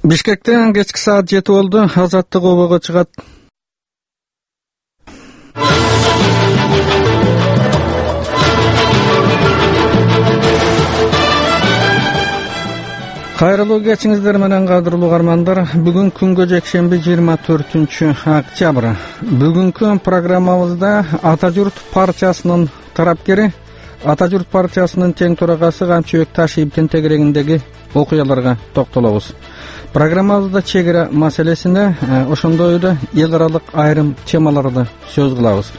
Бишкектен кечки саат 7 болду. Азаттык обого чыгат. Кайрылуу кечиңиздер менен кадырлуу угармандар. Бүгүн күнгө жекшемби 24-октябрь. Бүгүнкү программабызда Ата журт партиясынын тарапкери, Ата журт партиясынын тең төрагасы Камчыбек Ташиевдин тегерегиндеги окуяларга токтолобуз. Программабызда чек ара маселесине, ошондой эле эл аралык айрым темаларды сөз кылабыз.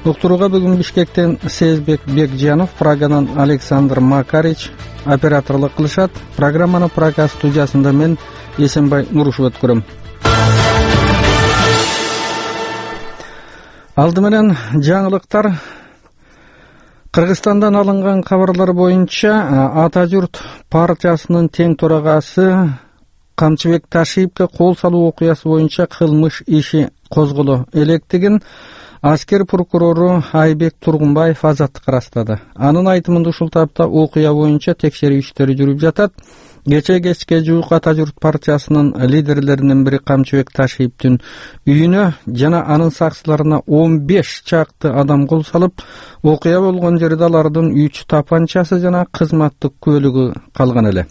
Уктурууга бүгүн Бишкектен Сезбек Бекжанов, Прагадан Александр Макарич операторлук кылышат. Программаны Прага студиясында мен Эсенбай Нурушев өткөрөм. Алды менен жаңылыктар. Кыргызстандан алынган кабарлар боюнча Ата журт партиясынын тең төрагасы Камчыбек Ташиевге кол салуу окуясы боюнча кылмыш иши козголо электигин аскер прокурору Айбек Тургунбаев азаттыкка ырастады. Анын айтымында ушул тапта окуя боюнча текшерүү иштери жүрүп жатат. Кечке жуук Ата журт партиясынын лидерлеринин бири Камчыбек Ташиевдин үйүнө жана анын сакчыларына 15 чакты адам кол салып, окуя болгон жерде алардын 3 тапанчасы жана кызматтык көлүгү калган эле.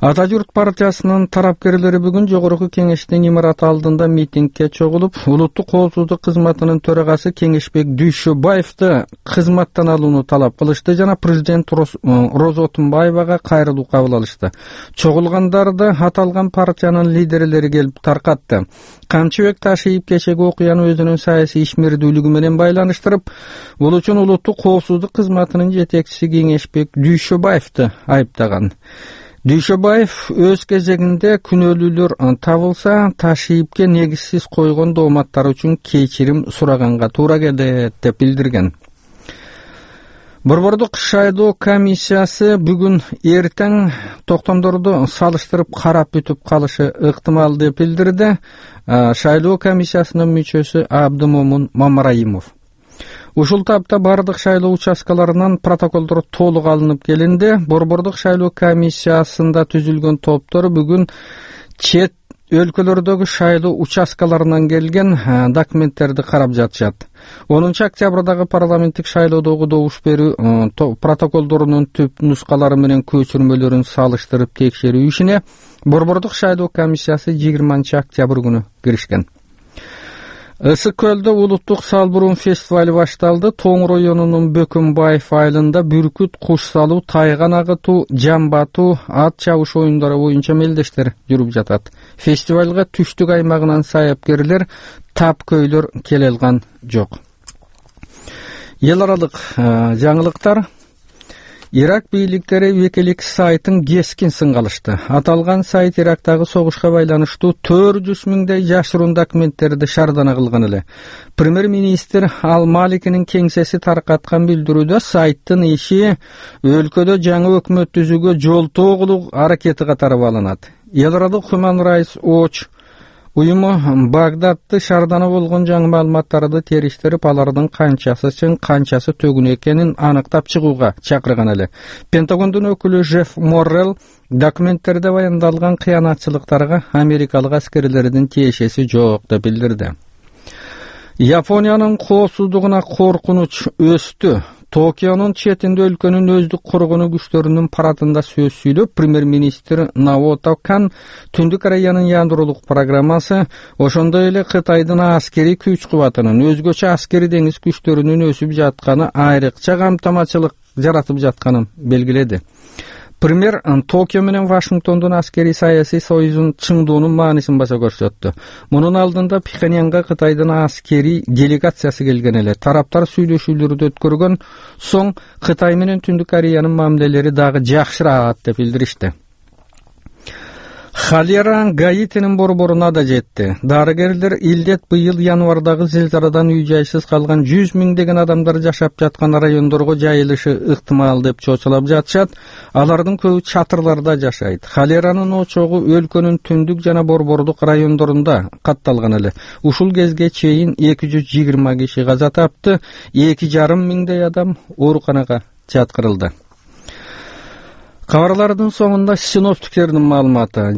Ата журт партиясынын тарапкерлери бүгүн жогорку кеңештин имараты алдында митингге чогулуп, улуттук коопсуздук кызматынын төрагасы Кеңешбек Дүйшөбаевди кызматтан алууну талап кылышты жана президент Роза Отунбаевага кайрылуу кабыл алышты. Чогулгандарды аталган партиянын лидерлери келип таркатты. Камчыбек Ташиев кечеги окуяны өзүнүн саясий ишмердүүлүгү менен байланыштырып, бул үчүн улуттук коопсуздук кызматынын жетекчиси Кеңешбек Дүйшөбаевди айыптаган. Дүйшөбаев өз кезегинде күнөөлүүлөр табылса, Ташиевге негизсиз койгон дооматтар үчүн кечирим сураганга туура келет деп билдирген. Борбордук шайлоо комиссиясы бүгүн эртең токтомдорду салыштырып карап бүтүп калышы ыктымал деп билдирди шайлоо комиссиясынын мүчөсү Абдымомун Мамараимов. Ушул тапта бардык шайлоо участкаларынан протоколдор толук алынып келинди. Борбордук шайлоо комиссиясында түзүлгөн топтор бүгүн чет өлкөлөрдөгү шайлоо участкаларынан келген документтерди карап жатышат. 10-октябрдагы парламенттик шайлоодогу добуш берүү протоколдорунун түп нускалары менен көчүрмөлөрүн салыштырып текшерүү ишине Борбордук шайлоо комиссиясы 20-октябрь күнү киришкен. Ысык көлдө улуттук салбурун фестивали башталды. Тоң районунун Бөкөнбаев айылында бүркүт, куш салуу, тайган агытуу, жамба атуу, ат чабыш оюндары боюнча мелдештер жүрүп жатат. Фестивалга түштүк аймагынан саяпкерлер, тапкөйлөр келе алган жок. Эл аралык жаңылыктар. Ирак бийликтери Wikileaks сайтын кескин сынга алышты. Аталган сайт Ирактагы согушка байланыштуу 400 миңдей жашыруун документтерди шаардана кылган эле. Премьер-министр Ал-Маликинин кеңсеси таркаткан билдирүүдө сайттын иши өлкөдө жаңы өкмөт түзүүгө жолтоо кылуу аракети катары бааланат. Эл аралык Human Rights Watch уюму Багдадты шаардана болгон жаңы маалыматтарды териштирип, алардын канчасы чын, канчасы төгүн экенин аныктап чыгууга чакырган эле. Пентагондун өкүлү Жефф Моррелл документтерде баяндалган кыянатчылыктарга америкалык аскерлердин тиешеси жок деп билдирди. Япониянын коопсуздугуна коркунуч өстү. Токионун четинде өлкөнүн өздүк коргонуу күчтөрүнүн парадында сөз сүйлөп, премьер-министр Наото Кан Түндүк Кореянын ядролук программасы, ошондой эле Кытайдын аскери күч кубатынын, өзгөчө аскери деңиз күчтөрүнүн өсүп жатканы айрыкча камтамачылык жаратып жатканын белгиледи. Премьер Токио менен Вашингтондун аскери саясий союзун чыңдоонун маанисин баса көрсөттү. Мунун алдында Пхеньянга Кытайдын аскери делегациясы келген эле. Тараптар сүйлөшүүлөрдү өткөргөн соң Кытай менен Түндүк Кореянын мамилелери дагы жакшыраат деп билдиришти. Холера Гаитинин борборуна да жетти. Дарыгерлер илдет быйыл январдагы зилзаладан үй-жайсыз калган 100 миңдеген адамдар жашап жаткан райондорго жайылышы ыктымал деп чочулап жатышат. Алардын көбү чатырларда жашайт. Холеранын очогу өлкөнүн түндүк жана борбордук райондорунда катталган эле. Ушул кезге чейин 220 киши каза тапты, 2,5 миңдей адам ооруканага жаткырылды. Кабарлардын соңунда синоптиктердин маалыматы.